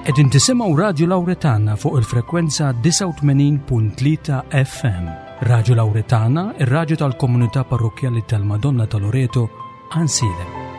Qegħdin tisimgħu Radju Lawretana fuq il-frekwenza 89.3 FM. Radju Lawretana, ir-radju tal-komunità parrokkjali tal-Madonna ta' Loreto, Ansilem.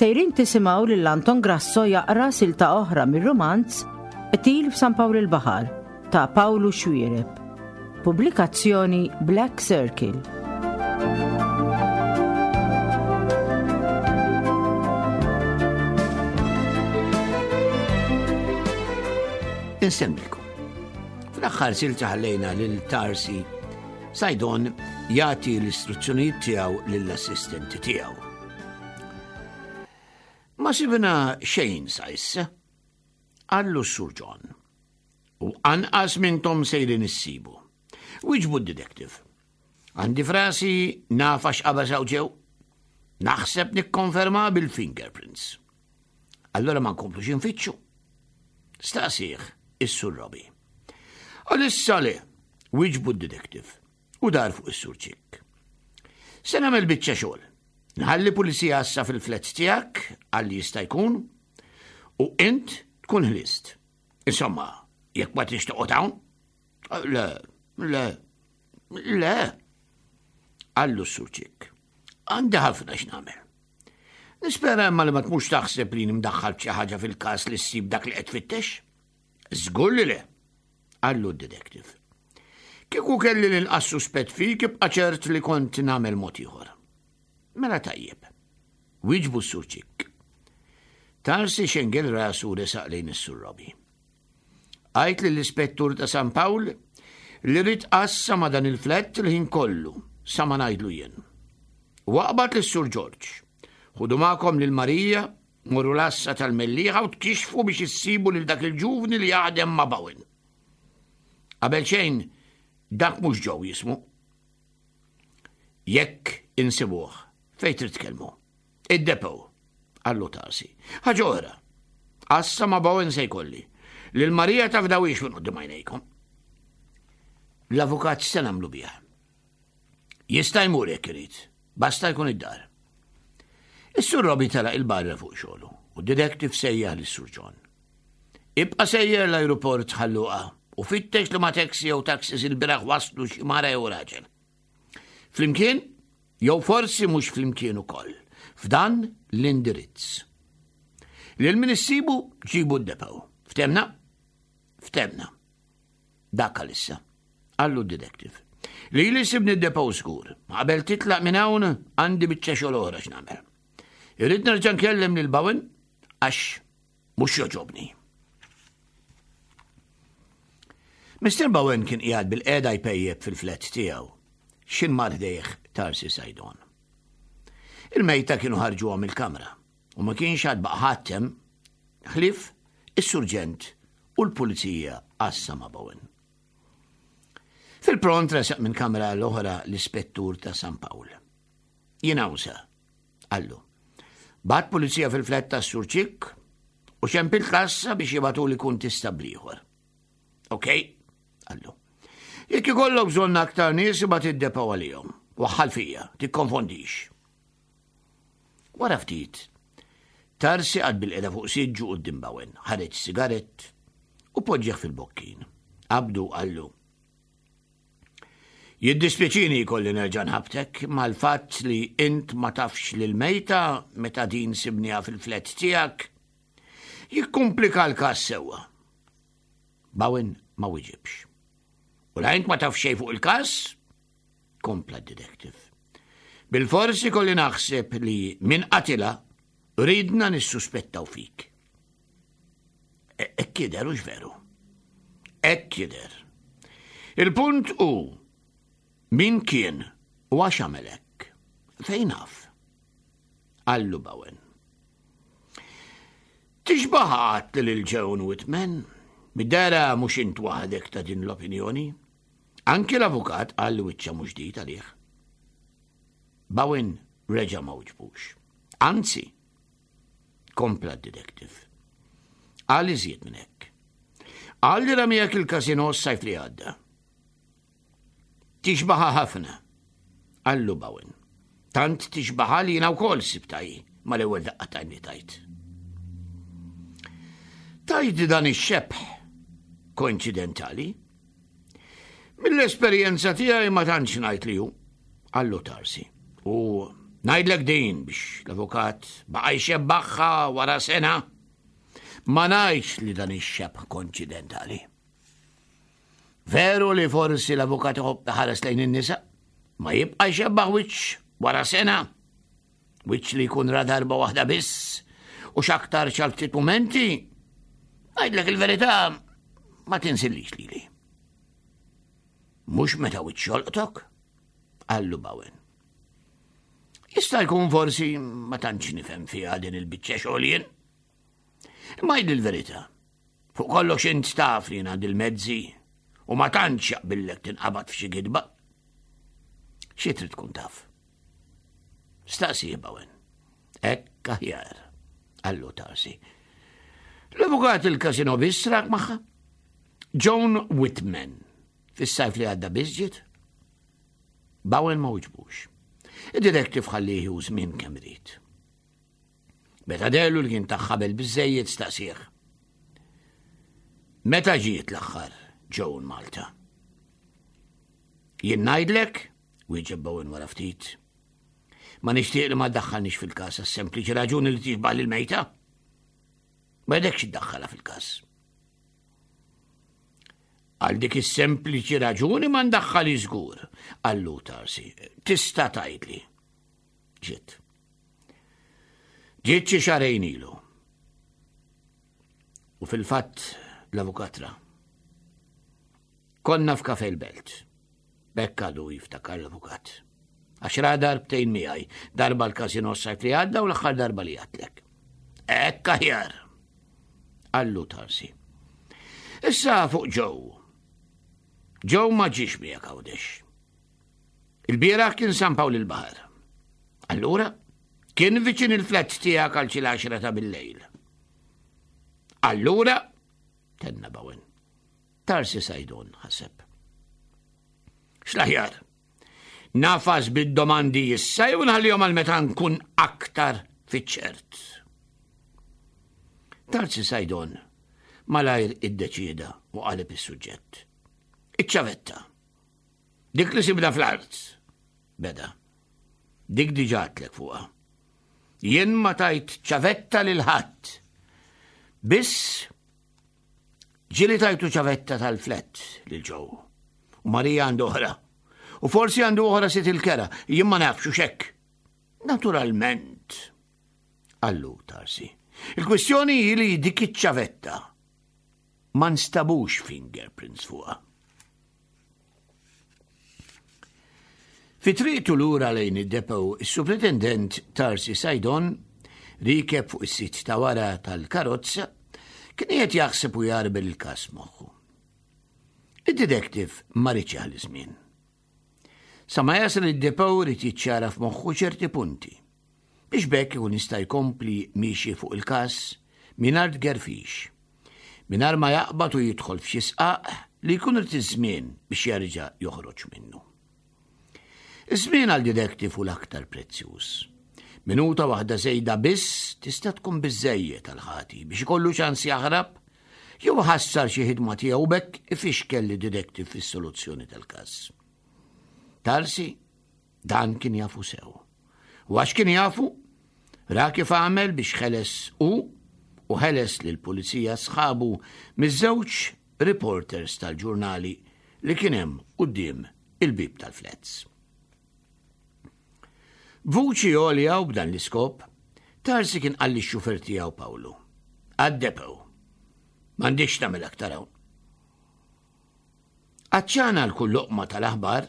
Sejrin tisimgħu lil Anton Grasso jaqra silta oħra mir-rumanz Qtil f'San Pawl il-Baħar ta' Pawlu Xuereb. Pubblikazzjoni Black Circle. Insemmilkom. Fl-aħħar silta ħallejna lil Tarsi Sajdon jagħti l-istruzzjonijiet tiegħu lill-assistenti tiegħu. Ma sibna xejn sa issa, qallu s-Sur John. U anqas mintom sejrin issibu. Wiġbu d-detective. Għandi frasi naf għax qabeż hawn ġew. Naħseb nikkonferma bil-fingerprints. Allora ma nkomplux infittxu. Staqsih is-Sur Robbie. Għalissa le, wiġbu d-detective u dar fuq is-Sur Chick. Se nagħmel biċċa xogħol. Nħalli pulizija għassa fil-flats tiegħek għal jista' jkun u int tkun ħlist. Insomma, jekk ma trix toqgħod hawn? Le, le, le. Qallu s-Sur Ċikk. Għandi ħafna x'nagħmel. Nispera imma li ma tmux taħseb li nimdaħħal xi ħaġa fil-każ li ssib dak li qed tfittex. Żgur li le, qallu d-detective. Kieku kelli l-inqas suspett fik ibqa' ċert li kont nagħmel mod ieħor. Mela tajjeb. Wieġbu s-Sur Ċikk. Tarsi xengel rasu u resaq lejn is-Sur Robbie. Għid lill-ispettur ta' San Pawl li rrid għassa ma' dan il-flett il-ħin kollu sa ma ngħidlu jien. U aqbad lis-Sur Ġorġ. Ħudu magħkom lil Marija, morru l-għassa tal-Mellieħa u tkixxfu biex issibu lil dak il-ġuvni li jaħdem ma' Bowen. Qabel xejn, dak mhux Joe jismu. Jekk insibuh, fejn trid tkellmu? Id-depot, qallu Tarsi. Ħaġa oħra, għassa ma' Bowen se jkolli. Lil Marija tafdawhiex minn quddiem għajnejkom. L-avukat x'se nagħmlu bih? Jista' jmur jekk irid, basta jkun id-dar. Is-Sur Robbie telaq il-barra fuq xogħlu u d-detective sejjaħ lis-Sur John. Ibqa' sejjer l-ajruport Ħal Luqa u fittex li ma' taxi jew taxis il-bieraħ waslu xi mara jew raġel. Flimkien, jew forsi mhux flimkien ukoll, f'dan l-indirizz. Lil min issibu ġibu d-depow. Ftemna? Ftemna. Dak għalissa. Qallu d-detective. Li li sibni d-depow żgur. Qabel titlaq minn hawn għandi biċċa xogħol oħra x'nagħmel. Irrid nerġa' nkellem lil Bowen għax Mhux jogħġobni. Mr. Bowen kien qiegħed bil-qiegħda jpejjep fil-flat tiegħu. X'in mar ħdejh Tarsi Sajdon. Il-mejta kienu ħarġuha mill-kamra u ma kienx għad baqa' ħadd hemm ħlief is-surġent u l-pulizija għassa ma' Bowen. Fil-pront resaq minn kamra l-oħra l-ispettur ta' San Pawl. Jien hawn sa, Qallu. Bat pulizija fil-flat tas-Sur Ċikk u xempilt l-għassa biex jibgħatuli kuntistabbli ieħor. Ok, qallu. Jekk ikollok bżonn aktar nies ibgħat id-depo għalihom. Waħħal fija, tikkonfondix. Wara ftit, Tarsi qagħad bil-qeda fuq siġġu quddiem Bowen, ħareġ sigarett u poġġih fil-bokkin. Qabdu qallu. Jiddispjaċini jkolli nerġa' nħabbtek mal-fatt li int ma tafx lill-mejta meta din sibniha fil-flat tiegħek. Jikkumplika l-każ sewwa. Bowen ma wiġibx. U la int ma taf xejn fuq il-każ? Kompla d-detective. Bilfors ikolli naħseb li min qatilha ridna nissuspettaw fik. E, hekk jidher hux veru. Hekk jidher. Il-punt hu min kien u għax għamel hekk. Fejn naf? Qallu Bowen. Tixbaħ għat lil Joan Whitman, mid-dera mhux int waħdek ta' din l-opinjoni. Anki l-avukat qal li wiċċha mhux ġdid għalih. Bowen reġa' ma wiġbux. Anzi, kompla d-detective. Qal iżjed minn hekk. Qal li ra miegħek il-casino s-sajf li għadda. Tixbaha ħafna, qallu Bowen. Tant tixbaha li jiena wkoll sibtha hi mal-ewwel daqqa t'għajn li tajt. Tajt dan ix-xebh koinċidentali. Mill-esperjenza tiegħi ma tantx ngħid li hu, qallu Tarsi. U ngħidlek din biex l-avukat baqa' jxebbaħha wara sena. Ma ngħidx li dan ix-xebh koinċidentali. Veru li forsi l-avukat iħobb iħares lejn in-nisa, ma jibqa' jxebbaħ wiċċ wara sena, wiċċ li jkun ra darba waħda biss u x'aktar xal ftit mumenti, ngħidlek il-verità ma tinsillix lili. Mhux meta wiċċ jolqtok, qallu Bowen. Jista' jkun forsi ma tantx nifhem fiha din il-biċċa xogħol jien. Imma jgħid il-verità. Fuq kollox int taf li jien għandi l-mezzi u ma tantx jaqbillek tinqabad f'xi gidba. Xi trid tkun taf? Staqsi Bowen. Hekk aħjar, qallu Tarsi. L-avukat il-kasino biss rak magħha. Joan Whitman, fis-sajf li għadda biss ġiet. Bowen ma wiġbux. Id-detective ħallih u żmien kemm irid. Meta dehlu li kien ta' ħabel biżżejjed staqsih. Meta ġiet l-aħħar Joan Malta? Jien ngħidlek, wieġeb Bowen wara ftit. Ma nixtieq li ma ddaħħalniex fil-każ għas-sempliċi raġuni li tixbah lil mejta. Ma jdekx iddaħħalha fil-każ. Għal dik is-sempliċi raġuni ma ndaħħali żgur, qallu Tarsi. Tista' tgħidli. Ġiet. Ġiet xi xahrejn ilu. U fil-fatt l-avukat ra. Konna f'kafe l-belt. Bekk għadu jiftakar l-avukat. Għax ra darbtejn miegħi, darba l-kasino s-sajf li għadda u l-aħħar darba li għatlek. Ekk aħjar. Qallu Tarsi. Issa fuq ġew. Ġew ma ġiex miegħek Għawdex. Il-bieraħ kien San Pawl il-Baħar. Allura, kien viċin il-flat tiegħek għal xi l-għaxra ta' bil-lejl. Allura, tenna Bowen, Tarsi Sajdon ħaseb. X'l-aħjar? Nafas bid-domandi issa jew nħallihom għal meta nkun aktar fiċ-ċert. Tarsi Sajdon malajr iddeċieda u qaleb is-suġġett. Iċ-ċavetta. Dik li sibna fl-art, beda. Dik diġà għedtlek fuqha. Jien ma tajt ċavetta lil ħadd. Biss ġieli tajtu ċavetta tal-flett lil ġew. U Marija għandu oħra. U forsi għandu oħra sit il-kera, jien ma nafx u xekk. Naturalment, qallu Tarsi. Il-kwistjoni hi li dik iċ-ċavetta ma nstabux fingerprints fuqha. Fi triqtu lura lejn id-depot, is-Supretendent Tarsi Saydon, riekeb fuq is-sit ta' wara tal-karozza, kien qiegħed jaħseb u jgħarbel il-każ moħħu. Id-detective ma riedx jaħli żmien. Sa ma jasal id-depot ried jiċċara f'moħħu ċerti punti biex b'hekk ikun jista' jkompli miexi fuq il-każ mingħajr tgerfix, mingħajr ma jaqbad u jidħol f'xi sqaq li jkun irid iż-żmien biex jerġa' joħroġ minnu. Iż-żmien għal detective hu l-aktar prezzjuż. Minuta waħda żejda biss tista' tkun biżżejjed għal ħati biex ikollu ċans jaħrab jew iħassar xi ħidma tiegħu b'hekk ifixkel lid-detective fis-soluzzjoni tal-każ. Tarsi Dan kien jafu sew. U għax kien jafu, ra kif għamel biex ħeles hu u ħeles lill-pulizija sħabu miż-żewġ reporters tal-ġurnali li kien hemm quddiem il-bieb tal-flats. B'vuċi għolja u b'dan l-iskop, Tarsi kien qal lix-xufer tiegħu Pawlu. Għad-depot. M'għandix tagħmel aktar hawn. Għatxan għal kull loqma tal-aħbar,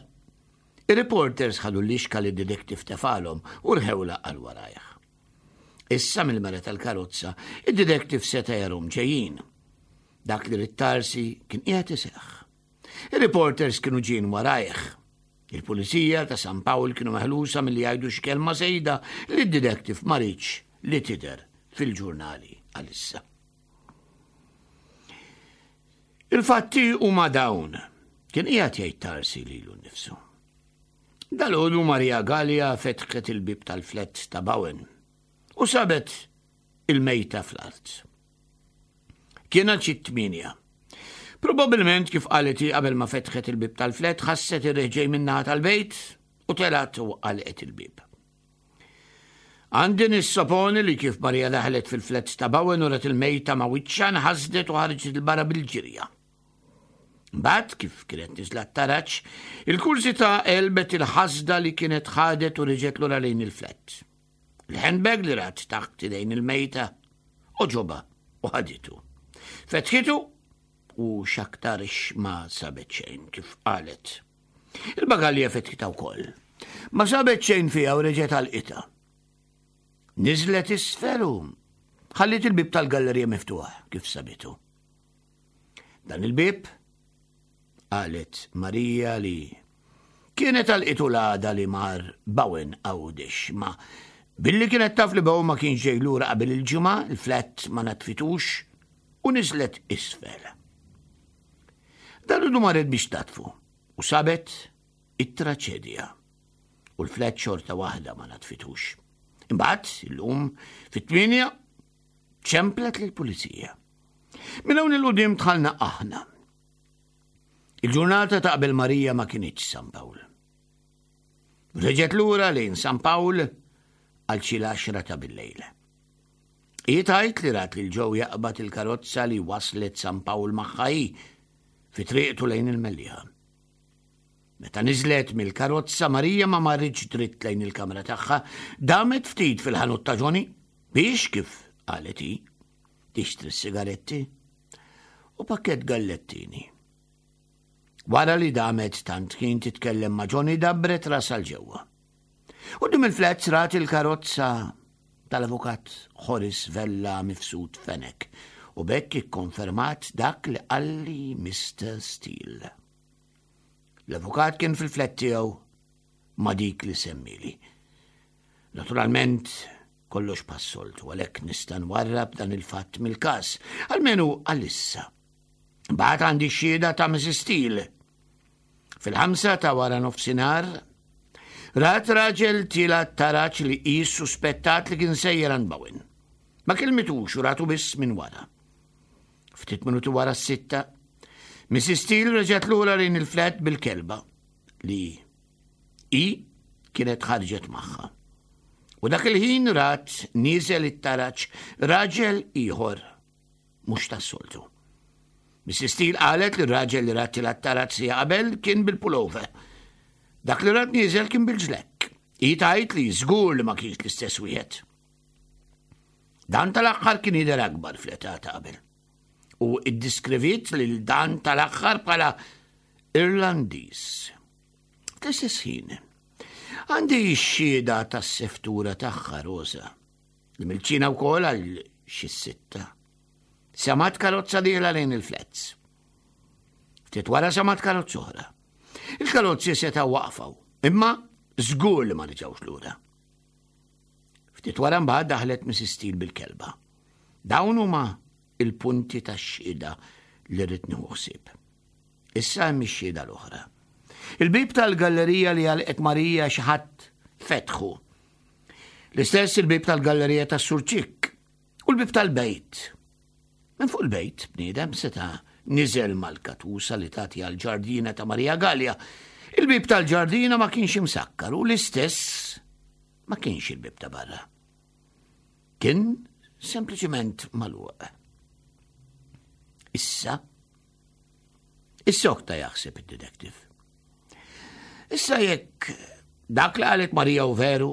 ir-reporters ħadu l-lixka li d-detective tefalhom u rħewlha għal warajh. Issa mill-mera tal-karozza, id-detective seta' jarhom ġejjin. Dak li ried Tarsi kien qiegħed iseħħ. Ir-reporters kienu ġien warajh. Il-pulizija ta' San Pawl kienu meħlusa milli jgħidu xi kelma żejda li d-detective ma riedx li tidher fil-ġurnali għalissa. Il-fatti huma dawn, kien qiegħed jgħid Tarsi lilu nnifsu. Dalgħodu Maria Gallia fetħet il-bieb tal-flett ta' Bowen u sabet il-mejta fl-art. Kien għal xi tmienja. Probabilment kif qalet hi qabel ma fetħet il-bieb tal-flet ħasset ir-riħ ġej min-naħa tal-bejt u telgħet u għalqet il-bieb. Għandi nissoponi li kif Marija daħlet fil-flet ta' Bowen u rat il-mejta ma' wiċċha nħasdet u ħarġet 'il barra bil-ġirja. Mbagħad kif kienet niżla t-taraġ, il-kurżità għelbet il-ħasda li kienet ħadet u reġgħet lura lejn il-flet. Il-handbag li rat taħt idejn il-mejta oġoba u ħaditu. Fetħitu u x'aktarx ma sabet xejn kif qalet. Il-bagalja fetħitha wkoll. Ma sabet xejn fiha u reġgħet għalqitha. Niżlet isfel u ħalliet il-bieb tal-gallerija miftuħ kif sabitu. Dan il-bieb qalet Marija li kienet għalqitu l-għada li mar Bowen Għawdex ma billi kienet taf li Bowen ma kienx ġej lura qabel il-ġimgħa, il-flat ma natfitux u niżlet isfel. Dal-għodu marret biex tatfu u sabet it-traċedja u l-flat xorta waħda ma natfitux. Imbagħad illum fit-tmienja ċemplet lill-pulizija. Minn hawn il-qudiem dħalna aħna. Il-ġurnata ta' qabel Marija ma kinitx San Pawl. Reġgħet lura lejn San Pawl għal xi l-għaxra ta' billejl. Hi tgħid li rat lil Joe jaqbad il-karozza li waslet San Pawl magħha hi fi triqtu lejn il-Mellieħa. Meta niżlet mill-karozza Marija ma marritx dritt lejn il-kamra tagħha, damet ftit fil-ħanut ta' Johnny biex kif qalet hi tixtri s-sigaretti u pakkett gallettini. Wara li damet tant ħin titkellem ma' Johnny dabbret rasha 'l ġewwa. Quddiem il-flats rat il-karozza tal-avukat Horace Vella Mifsud Fenech u b'hekk ikkonfermat dak li qalli Mr. Steele. L-avukat kien fil-flat tiegħu ma' dik li semmili. Naturalment, kollox bħas-soltu, għalhekk nista' nwarrab dan il-fatt mill-każ, almenu għalissa. Mbagħad għandi x-xhieda ta' Mrs. Steele. Fil-ħamsa ta' wara nofsinhar, rat raġel tiela' t-taraġ li hi suspettat li kien sejjer għand Bowen. Ma kelmitux u ratu biss minn wara. Ftit minuti wara s-sitta, Mrs. Steele reġgħet lura lejn il-flat bil-kelba li Hi kienet ħarġet magħha. U dak il-ħin rat nieżel it-taraġ raġel ieħor mhux tas-soltu. Mrs. Steele qalet li r-raġel li rat tilgħat taraġ siegħa qabel kien bil-pullover. Dak li rat nieżel kien bil-ġlekk. Hi tgħid li żgur li ma kienx l-istess wieħed. Dan tal-aħħar kien jidher akbar fl-età ta' qabel. U iddiskriviet lil dan tal-aħħar bħala Irlandiż. Fl-istess ħin, għandi x-xhieda tas-seftura tagħha Rosa, li mill-ċina wkoll għal xi sitta. Samat karozza dieħla lejn il-flats. Ftit wara samat karozza oħra. Il-karozzi setgħu waqfaw, imma żgur li ma reġgħux lura. Ftit wara mbagħad daħlet Mrs. Steele bil-kelba. Dawn huma il-punti tax-xhieda li rrid nieħu ħsieb. Issa hemm ix-xhieda l-oħra. Il-bieb tal-gallerija li għalqet Marija xi ħadd fetħu. L-istess il-bieb tal-gallerija tas-Sur Ċikk u l-bieb tal-bejt. Minn fuq il-bejt bniedem seta' niżel mal-katusa li tagħti għall-ġardina ta' Marija Gallia. Il-bieb tal-ġardina ma kienx imsakkar u l-istess ma kienx il-bieb ta' barra. Kien sempliċement magħluq. Issa Issokta jaħseb id-detective. Issa jekk dak li qalet Marija u veru,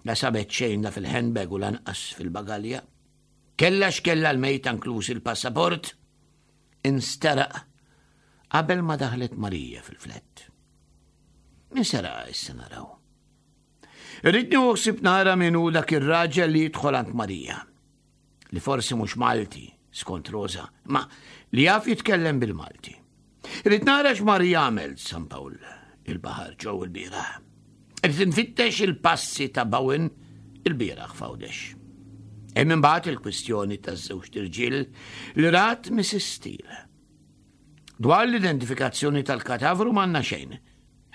la sabet xejn la fil-handbag u lanqas fil-bagalja, kella x'kella l-mejta inkluż il-passaport, insteraq qabel ma daħlet Marija fil-flett. Min seraqa issa naraw. Irrid nieħu ħsieb nara min hu dak ir-raġel li jidħol għand Marija. Li forsi mhux Malti, skont Rosa, ma li jaf jitkellem bil-Malti. Irrid nara x'mar jagħmel San Pawl il-baħar ġew il-bieraħ. Irrid infittex il-passi ta' Bowen il-bieraħ f'Għawdex. Hemm imbagħad il-kwistjoni taż-żewġt irġiel li rat Mrs. Steele. Dwar l-identifikazzjoni tal-katavru m'għandna xejn.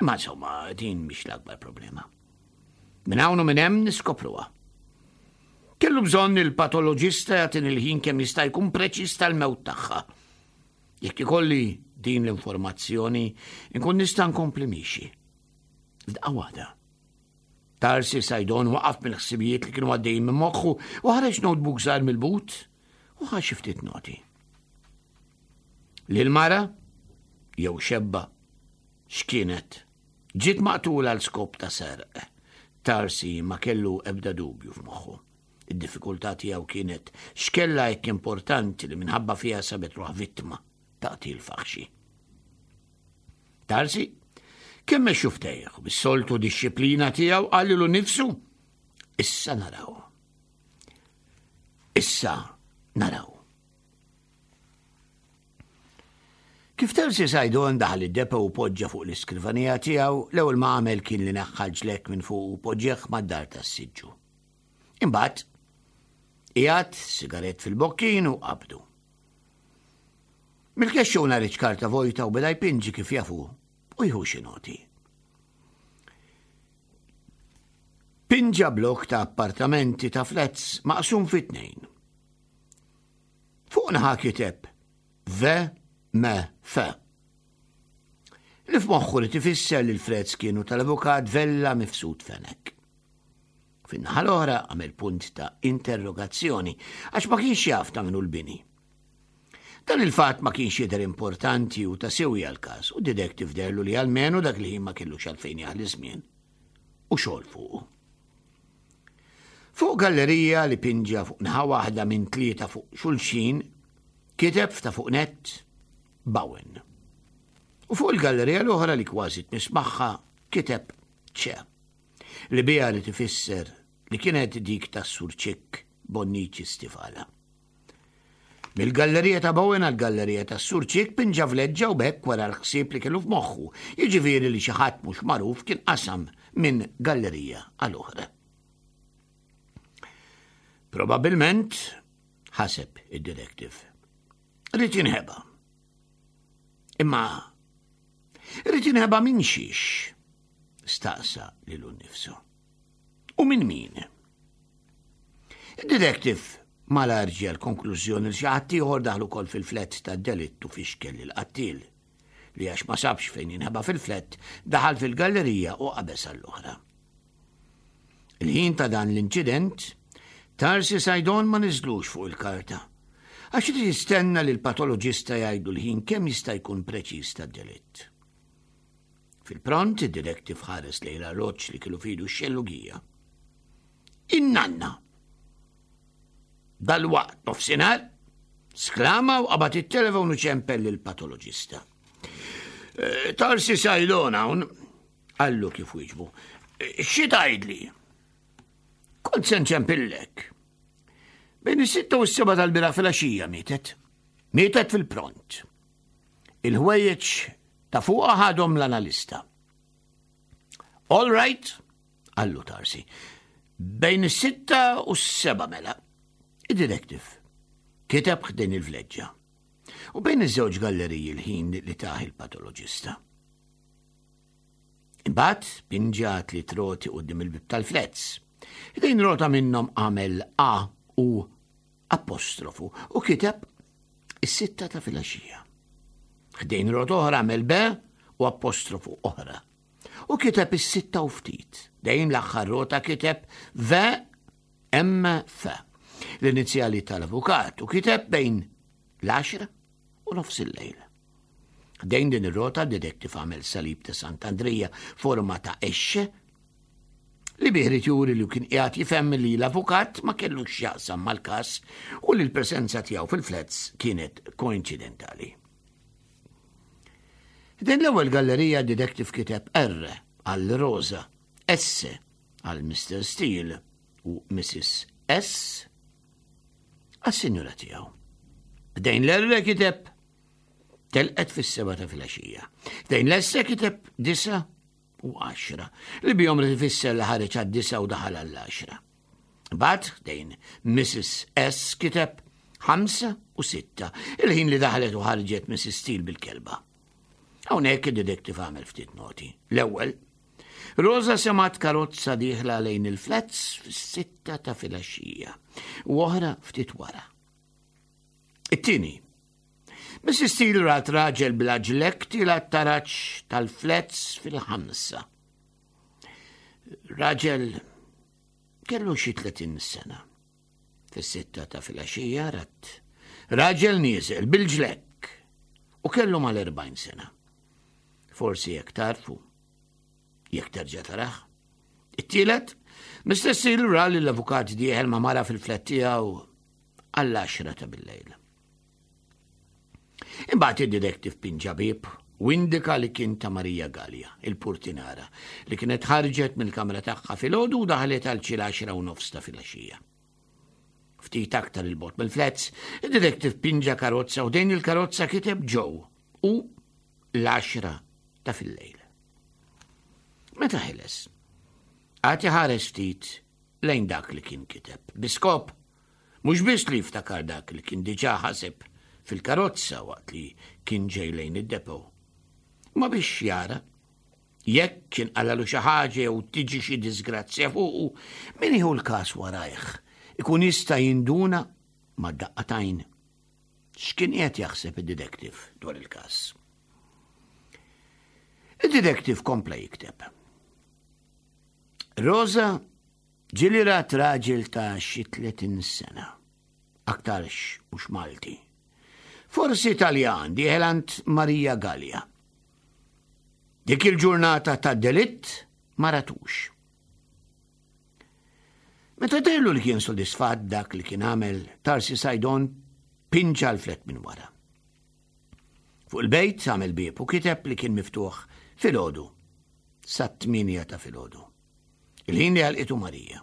Imma insomma, din mhix l-akbar problema. Minn hawn u minn hemm niskopruha. Kellu bżonn il-patoloġista jagħtini l-ħin kemm jista' jkun preċiż tal-mewt tagħha. Jekk ikolli din l-informazzjoni, inkun nista' nkompli miexi. F'daqqa waħda. Tarsi Sajdon waqaf mill-ħsibijiet li kienu għaddejjin minn moħħu u ħareġ notebook żgħar mill-but u ħa xi ftit noti. Lil mara jew xebba x'kienet ġiet maqtula għal skop ta' serq. Tarsi ma kellu ebda dubju f'moħħu. Id-diffikultà tiegħu kienet x'kellha hekk importanti li minħabba fiha sabet ruħ vittma ta' qtil faħxi. Tarsi, kemm mexxu ftejh bis-soltu dixxiplina tiegħu qallilu nifsu, issa naraw. Issa naraw. Kif Terzi Sajdon daħal id-depo u poġġa fuq l-iskrivanija tiegħu, l-ewwel ma għamel kien li neħħa l-ġlekk minn fuq u poġġeh mad-dar tas-siġġu. Imbagħad qiegħed sigarett fil-bokkin u qabdu. Mill-kexxun ħareġ karta vojta u beda jpinġi kif jafu u jħu xi noti. Pinġa blok ta' appartamenti ta' flats maqsum fi tnejn. Fuq naħa kiteb V M F. Li f'moħħu li tifisser li l-frezz kienu tal-avukat Vella Mifsud Fenech. Fin-naħa l-oħra għamel punt ta' interrogazzjoni għax ma kienx jaf ta' minnu l-bini. Dan il-fatt ma kienx jidher importanti u ta' sewi għal-każ u detective derlu li għalmenu dak li ma kellux għalfejn jaħli żmien u xogħol fuqu. Fuq gallerija li pinġa fuq naħa waħda minn tlieta fuq xulxin, kiteb ta' fuq nett Bowen. U fuq il-gallerija l-oħra li kważi tmiss magħha kiteb ċe, li biha li tifisser li kienet dik tas-Sur Ċikk Bonnici Stivala. Mill-gallerija ta' Bowen għall-gallerija tas-Sur Ċikk pinġa vleġġa u b'hekk wera l-ħsieb li kellu f'moħħu, jiġifieri li xi ħadd mhux magħruf kien qasam minn gallerija għal oħra. Probabilment, ħaseb id-detective, ried jinħeba. Imma ried jinħeba minn xiex? Staqsa lilu nnifsu. U minn min? Id-detective malajr ġie għall-konklużjoni li xi ħadd ieħor daħal ukoll fil-flat tad-delitt u fixkel lill-qattiel, li għax ma sabx fejn jinħeba fil-flat, daħal fil-gallerija u qabeż għall-oħra. Il-ħin ta' dan l-inċident, Tarsi Sajdon ma niżlux fuq il-karta, għax irid jistenna li l-patoloġista jgħidu l-ħin kemm jista' jkun preċiż tad-delitt. Fil-pront id-detective ħares lejn l-arloġġ li kienu fidu x-xellugija. In-nanna! Dal-waqt nofsinhar, sklama u qabad it-telefon u ċempel lill-patoloġista. Eh, Tarsi Sajdon hawn, qallu kif wieġbu. Eh, xi tgħidli? Kont se nċempillek. Bejn is-sitta u s-seba tal-bira fil-għaxija mietet. Mietet fil-pront. Il-ħwejjeġ ta' fuqha ħadhom l-analista. All right, qallu Tarsi. Bejn is-sitta u s-seba mela. Id-detective kiteb ħdejn il-vleġġa. U bejn iż-żewġ galleriji l-ħin li taħ il-patoloġista. Imbagħad pinġa tliet roti quddiem il-bib tal-flets. Ħdejn rota minnhom għamel A u apostrofu u kiteb is-sitta ta' filgħaxija. Ħdejn rota oħra għamel B u apostrofu oħra. U kiteb is-sitta u ftit. Dejn l-aħħar rota kiteb V M F l-inizjali tal-avukat u kiteb bejn l-10 u nofs il-lejl. Dejn din ir-rota d-detective għamel salib ta' Sant'Andrija forma ta' exxe li bih irid juri li kien qiegħed jifhem li l-avukat ma kellux x'jaqsam mal-każ u li l-preżenza tiegħu fil-flats kienet koinċidentali. Din l-ewwel gallerija detective kiteb R għal Rosa, S għal Mr. Steele u Mrs. S għas-sinjura tiegħu. Dejn l-R kiteb T. Telqet fis-seba ta' filgħaxija. Dejn lesse kiteb disa u għaxra li bihom li tfisser li ħareġ għad-disa u daħal għall-għaxra. Bad dejn Mrs. S kiteb ħamsa u sitta, il-ħin li daħlet u ħarġet Mrs. Steele bil-kelba. Hawnhekk id-detective għamel ftit noti. L-ewwel, Rosa semgħet karozza dieħla lejn il-flats fis-sitta ta' filgħaxija u oħra ftit wara. It-tieni, Mrs. Steele rat raġel bla ġlek tila taraġ tal-flats fil-ħamsa. Raġel kellu xi 30 sena. Fis-sitta ta' filgħaxija rat raġel nieżel bil-ġlekk u kellu mal-40 sena. Forsi jekk tarfu, jekk terġa' tarah. It-tielet, Mr. Seal ra li l-avukat dieħel ma' mara fil-flat tiegħu għall-10 ta' bil-lejl. Imbagħad id-detective pinġa bieb u indika li kien ta' Marija Gallia, il-purtinara, li kienet ħarġet mill-kamra tagħha filgħodu u daħlet għal xi l-10 u nofs ta' filgħaxija. Ftit aktar il-bot mill-flats, id-detective pinġa karozza u dejn il-karozza kiteb Joe u l-10 ta' fil-lejl. Meta ħeles, għati ħares ftit lejn dak li kien kiteb, biskop Mhux biss li jiftakar dak li kien diġà ħaseb fil-karozza waqt li kien ġej lejn id-depot, imma biex jara jekk kien qalalu xi ħaġa jew tiġi xi disgrazzja fuqu, min jieħu l-każ warajh ikun jista' jinduna ma' daqqa t'għajn x'kien qiegħed jaħseb id-detective dwar il-każ. Id-detective kompla jikteb. Rosa Ġieli rat raġel ta' xi 30 sena. Aktarx mhux Malti. Forsi Taljan dieħel għand Marija Gallia. Dik il-ġurnata ta' delitt ma ratux. Meta dellu li kien sodisfatt dak li kien għamel Tarsi Sajdon pinġa l-flet minn wara. Fuq il-bejt għamel bieb u kiteb li kien miftuħ filgħodu sat-8 ta' filgħodu. Il-ħin li għalqitu Marija.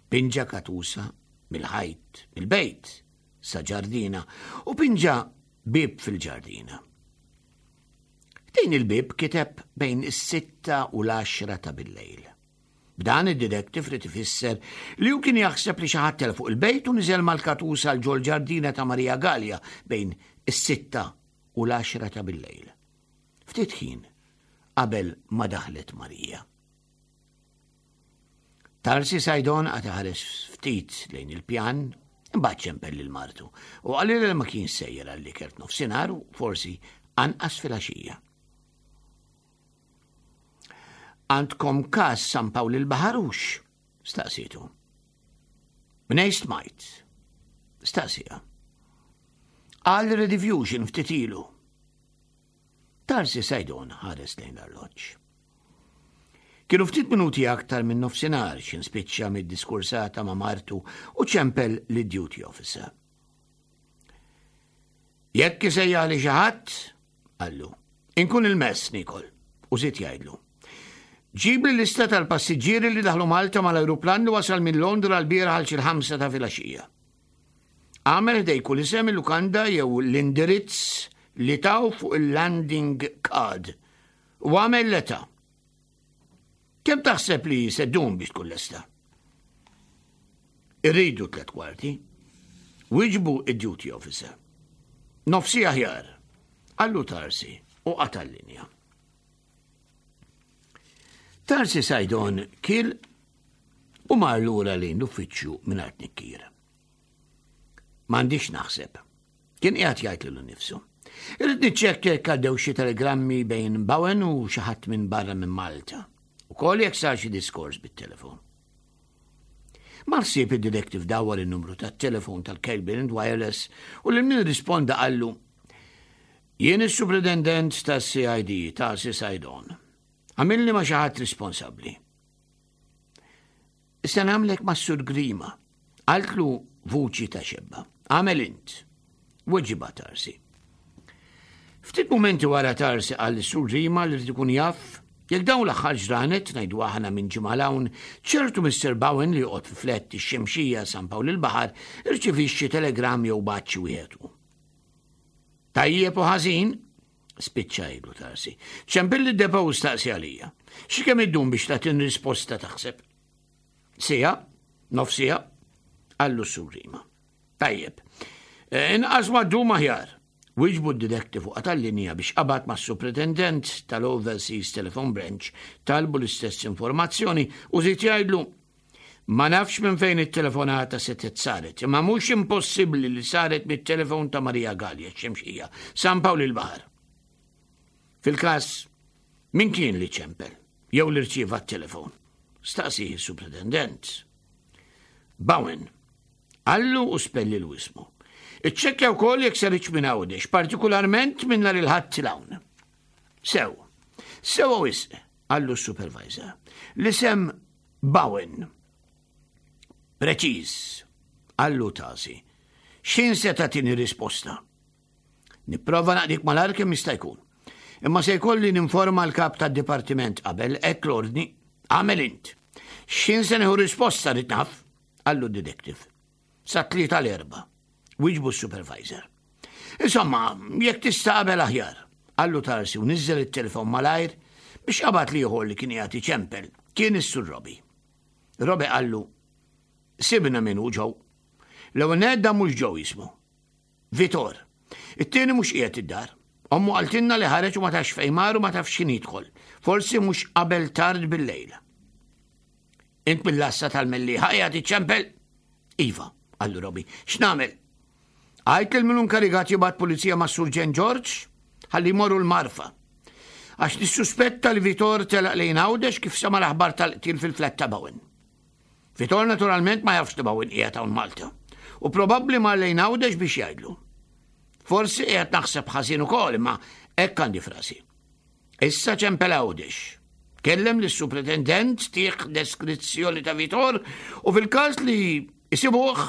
Pinġa katusa mill-ħajt, mill-bejt, sa ġardina u pinġa bib fil-ġardina. Din il-bib kiteb bejn is-sitta u l-għaxra ta' bil-lejl. B'dan id-detective rid ifisser li hu kien jaħseb li xi ħadd fuq il-bejt u niżel mal-katusa l ġol ġardina ta' Marija Gallia bejn is-sitta u l-għaxra ta' bil-lejl. Ftit ħin qabel ma daħlet Marija. Tarsi Sajdon għad ħares ftit lejn il-pjan, imbagħad ċempel lil martu u qalilha li ma kien sejjer għall-ikel f'nofsinhar u forsi anqas filgħaxija. Għandkom każ San Pawl il-Baħarux? Staqsietu. Mnej stmajt? Staqsija. Għal rediffusion ftit ilu. Tarsi Sajdon ħares lejn l-arloġġ. Kienu ftit minuti aktar minn nofsinhar x'in spiċċa mid-diskursata ma' martu u ċempel lid duty officer. Jekk isejjaħli xi ħadd, qallu, inkun il-mess nikol, u żied jgħidlu. Ġibli lista tal-passiġġieri li daħlu Malta mal-ajruplan li wasal minn Londra l-bieraħ għal xi ħamsa ta' filgħaxija. Agħmel ħdej kull isem il-lukanda jew l-indirizz li taw fuq il-landing card u agħmel l-età. Kemm taħseb li se ddum biex tkun lesta? Irridu tlet kwarti. Wiġbu id-duty officer. Nofsi aħjar. Qallu Tarsi u qata' l-linja. Tarsi Sajdon kil u mar lura lejn l-uffiċċju mingħajr tnikkir. M'għandix naħseb. Kien qiegħed jgħid lilu nnifsu. Irrid niċċekkja jekk għaddew xi telegrammi bejn Bowen u xi ħadd minn barra minn Malta. Ukoll jekk sar xi diskors bit-telefon. Mal-ħsieb id-detective dawwar in-numru tat-telefon tal-Cable and Wireless u lil min risponda qallu Jien is-Supretendent tas-CID ta' Sajdon. Għamilni ma' xi ħadd responsabbli. Se nagħmlek mas-Sur Grima, qaltlu vuċi ta' xebba. Għamel int. Weġiba Tarsi. Ftit mumenti wara Tarsi qal lis-Sur Grima li rrid ikun jaf jekk dawn l-aħħar ġranet ngħidu aħna minn ġimgħa hawn ċertu Mr. Bowen li joqgħod fi flett ix-Xemxija San Pawl il-Baħar irċivix xi telegram jew bagħat xi wieħed hu. Tajjeb u ħażin, spiċċa jgħidlu Tarsi. Ċempilli d-depo u staqsi għalija. Xi kemm iddum biex tagħtini risposta taħseb? Sija, nofsija, qallu s-surrima. Tajjeb. Eh, inqas ma ddum aħjar. Wieġbu d-detective u qata' l-linja biex qabad mas-Supretendent tal-Overseas Telephone Branch talbu l-istess informazzjoni u żied jgħidlu Ma nafx minn fejn it-telefonata setgħet saret, imma mhux impossibbli li saret mit-telefon ta' Maria Galea x-Xemxija, San Pawl il-Baħar. Fil-każ, min kien li ċempel jew li rċieva t-telefon? Staqsih is-Supretendent. Bowen. Qallu u spellilu ismu. Iċċekkja wkoll jekk saritx minn Għawdex, partikularment minn nhar il-Ħadd 'l hawn. Sew. Sewwa wisq, qallu s-supervisor. L-isem Bowen. Preċiż, qallu Tasi. X'ħin se tagħtini risposta? Nipprova naqdik malajr kemm jista' jkun. Imma se jkolli ninforma l-kap tad-dipartiment qabel, hekk l-ordni. Agħmel int. X'ħin se nieħu risposta rrid naf, qallu d-detective. Sa tlieta l-erba, wieġbu s-supervisor. Insomma, jekk tista' qabel aħjar, qallu Tarsi u niżżel it-telefon malajr biex qabad l-ieħor li kien qiegħed iċempel, kien is-Sur Robbie. Robbie qallu, sibna min hu Joe. L-ewwel nett dan mhux Joe jismu. Vitor. It-tieni mhux qiegħed id-dar. Ommu qaltilna li ħareġ u ma tafx fejn mar u ma tafx x'ħin jidħol. Forsi mhux qabel tard bil-lejl. Int mill-għassa tal-Mellieħa qiegħed iċċempel? Iva, qallu Robi. X'nagħmel? Għajt lil min inkarigat jibgħat pulizija mas-Surġent George ħalli jmorru l-Marfa. Għax nissuspetta li Vitor telaq lejn Għawdex kif sema l-aħbar tal-qtil fil-flat ta' Bowen. Vitor naturalment ma jafx li Bowen qiegħed hawn Malta u probabbli mar lejn Għawdex biex jgħidlu. Forsi qiegħed naħseb ħażin ukoll imma hekk għandi frasi. Issa ċempel Għawdex. Kellem lis-supretendent tih deskrizzjoni ta' Vitor u fil-każ li jsibuh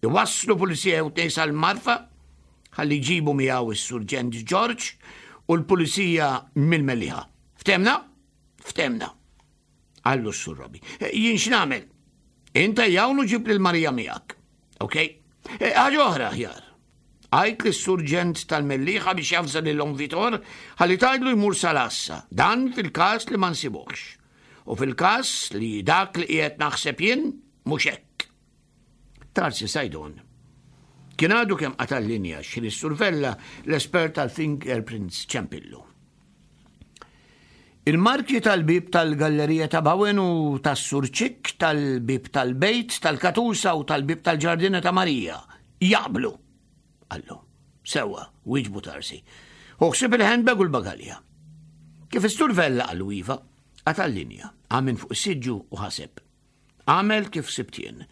iwasslu pulizija jew tnejn sal-Marfa ħalli jġibu miegħu is-Surġent George u l-pulizija mill-Mellieħa. Ftemna? Ftemna. Qallu s-Sur Robi. Eh, jien x'nagħmel? Inta hawn u ġib lil Marija miegħek. Ok? Eh, ħaġa oħra aħjar. Għajt lis surġent tal-Mellieħa biex javża lil Omm Vitor ħalli tgħidlu jmur sal-għassa. Dan fil-każ li ma nsibuhx. U fil-każ li dak li qiegħed naħseb jien mhux hekk. Tarsi Sajdon. Kien għadu kemm qata' l-linja x'ħin is-Sur Vella l-espert tal-fingerprints ċempillu. Il-marki tal-bieb tal-gallerija ta' Bowen u tas-Sur Ċikk tal-bieb tal-bejt tal-Katusa u tal-bieb tal-ġardina ta' Marija jaqblu, qallu. Sewwa, wieġbu Tarsi. Hu ħsieb il-handbag u l-bagalja. Kif is-Sur Vella qallu iva, qata' l-linja, qam minn fuq is-siġġu u ħaseb. Għamel kif sibt jien.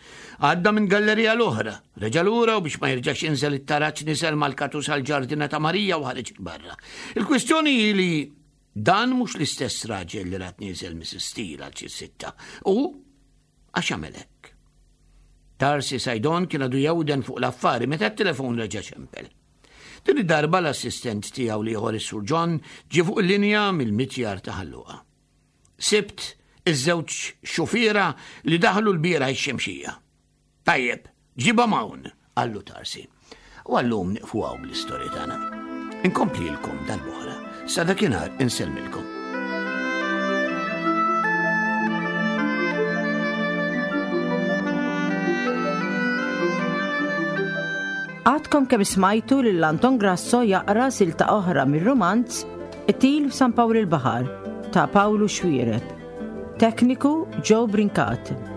Għadda minn gallerija l-oħra, reġa' lura u biex ma jerġax jinżel it-taraġ niżel mal-katus għall-ġardina ta' Marija u ħareġ 'il barra. Il-kwistjoni hi li dan mhux l-istess raġel li rat nieżel Mrs. Steele għal xi sitta. U għax għamel hekk? Tarsi Sajdon kien għadu jewden fuq l-affari meta t-telefon reġa' ċempel. Din id-darba l-assistent tiegħu l-ieħor is-Sur John ġie fuq il-linja mill-mitjar ta' Ħal Luqa. Sibt iż-żewġ xufiera li daħlu l-bieraħ ix-Xemxija. Tajjeb, ġibhom hawn, qallu Tarsi. U għallum nieqfu hawn bl-istorja tagħna. Inkomplilkom darb'oħra. Sa dakinhar insellmilkom. Għadkom kemm smajtu lil Anton Grasso jaqra silta oħra mir-rumanz Qtil f'San Pawl il-Baħar ta' Pawlu Xuereb. Tekniku Joe Brincat.